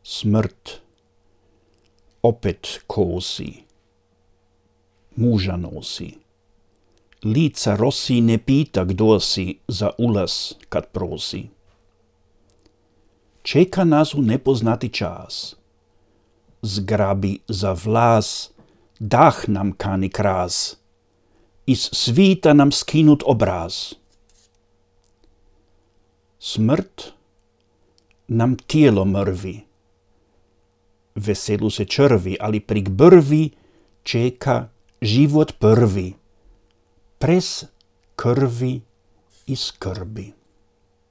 Smrt opet kosi, muža nosi. Lica rosi ne pita kdo si za ulaz kad prosi. Čeka nas u nepoznati čas. Zgrabi za vlas, dah nam kani kras. Iz svita nam skinut obraz. Smrt nam tijelo mrvi. Veselu se črvi, ali prik brvi čeka život prvi. Pres krvi i skrbi.